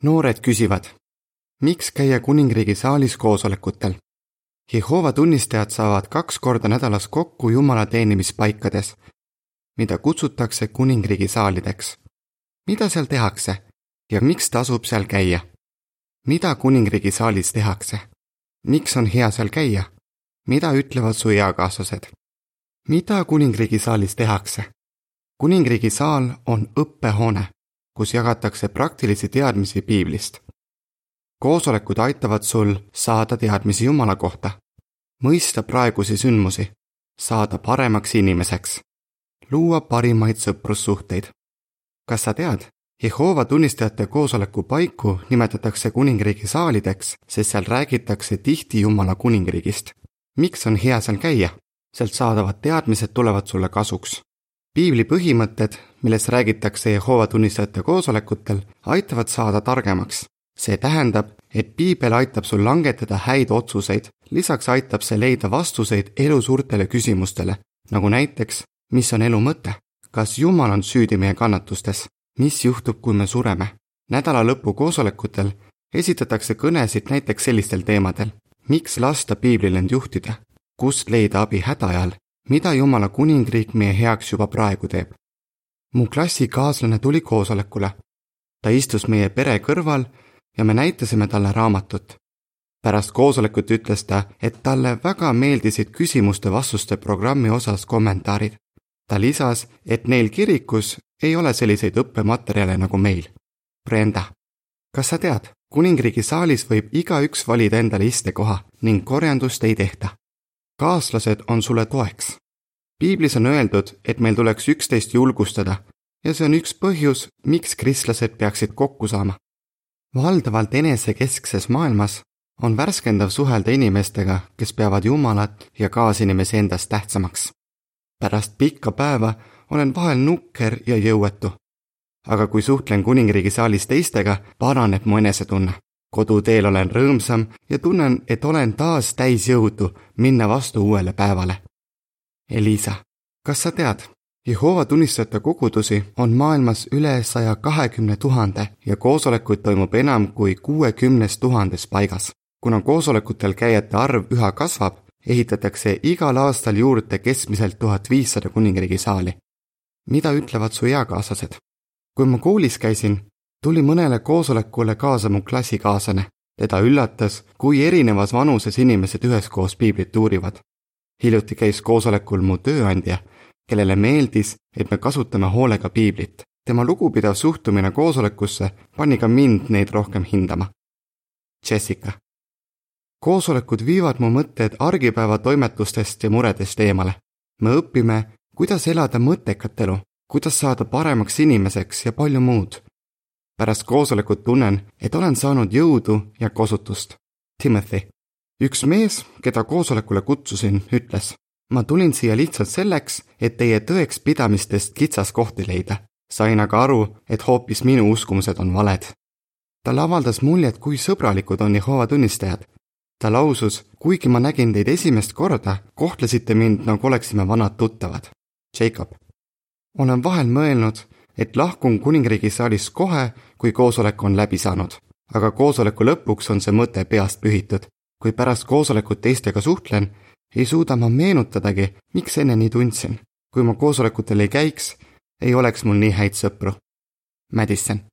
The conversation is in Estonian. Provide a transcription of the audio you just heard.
Noored küsivad, miks käia kuningriigi saalis koosolekutel? Jehoova tunnistajad saavad 2 korda nädalas kokku Jumala teenimispaikades, mida kutsutakse kuningriigi saalideks. Mida seal tehakse ja miks tasub seal käia? Mida kuningriigi saalis tehakse? Miks on hea seal käia? Mida ütlevad su eakaaslased? Mida kuningriigi saalis tehakse? Kuningriigi saal on õppehoone, kus jagatakse praktilisi teadmisi piiblist. Koosolekud aitavad sul saada teadmisi Jumala kohta, mõista praegusi sündmusi, saada paremaks inimeseks, luua parimaid sõprussuhteid. Kas sa tead, Jehoova tunnistajate koosoleku paiku nimetatakse kuningriigi saalideks, sest seal räägitakse tihti Jumala kuningriigist. Miks on hea seal käia? Sealt saadavad teadmised tulevad sulle kasuks. Piibli põhimõtted, milles räägitakse Jehoova tunnistajate koosolekutel, aitavad saada targemaks. See tähendab, et piibel aitab sul langetada häid otsuseid, lisaks aitab see leida vastuseid elu suurtele küsimustele, nagu näiteks, mis on elu mõte? Kas Jumal on süüdi meie kannatustes? Mis juhtub, kui me sureme? Nädala lõpu koosolekutel esitatakse kõnesid näiteks sellistel teemadel. Miks lasta piiblil end juhtida? Kust leida abi hädaajal? Mida Jumala kuningriik meie heaks juba praegu teeb? Mu klassikaaslane tuli koosolekule. Ta istus meie pere kõrval ja me näitasime talle raamatut. Pärast koosolekut ütles ta, et talle väga meeldisid küsimuste-vastuste programmi osas kommentaarid. Ta lisas, et neil kirikus ei ole selliseid õppematerjale nagu meil. Brenda, kas sa tead, kuningriigi saalis võib igaüks valida endale istekoha ning korjandust ei tehta. Kaaslased on sulle toeks. Piiblis on öeldud, et meil tuleks üksteist julgustada ja see on üks põhjus, miks kristlased peaksid kokku saama. Valdavalt enesekeskses maailmas on värskendav suhelda inimestega, kes peavad Jumalat ja kaasinimesi endast tähtsamaks. Pärast pikka päeva olen vahel nukker ja jõuetu. Aga kui suhtlen kuningriigi saalis teistega, paraneb mu enesetunne. Koduteel olen rõõmsam ja tunnen, et olen taas täis jõudu minna vastu uuele päevale. Elisa, kas sa tead, Jehoova tunnistajate kogudusi on maailmas üle 120 000 ja koosolekuid toimub enam kui 60 000 paigas. Kuna koosolekutel käijate arv üha kasvab, ehitatakse igal aastal juurde keskmiselt 1500 kuningriigi saali. Mida ütlevad su eakaaslased? Kui ma koolis käisin, tuli mõnele koosolekule kaasa mu klassikaaslane. Teda üllatas, kui erinevas vanuses inimesed üheskoos piiblit uurivad. Hiljuti käis koosolekul mu tööandja, kellele meeldis, et me kasutame hoolega piiblit. Tema lugupidav suhtumine koosolekusse pani ka mind neid rohkem hindama. Jessica. Koosolekud viivad mu mõtted argipäeva toimetustest ja muredest eemale. Me õpime, kuidas elada mõttekat elu, kuidas saada paremaks inimeseks ja palju muud. Pärast koosolekut tunnen, et olen saanud jõudu ja kosutust. Timothy. Üks mees, keda koosolekule kutsusin, ütles, ma tulin siia lihtsalt selleks, et teie tõeks pidamistest kitsas kohti leida. Sain aga aru, et hoopis minu uskumused on valed. Talle avaldas muljet, kui sõbralikud on Jehoova tunnistajad. Ta lausus, kuigi ma nägin teid esimest korda, kohtlesite mind, nagu oleksime vanad tuttavad. Jacob. Olen vahel mõelnud, et lahkun kuningriigi saalis kohe, kui koosolek on läbi saanud. Aga koosoleku lõpuks on see mõte peast pühitud. Kui pärast koosolekut teistega suhtlen, ei suuda ma meenutadagi, miks enne nii tundsin. Kui ma koosolekutel ei käiks, ei oleks mul nii häid sõpru. Madison.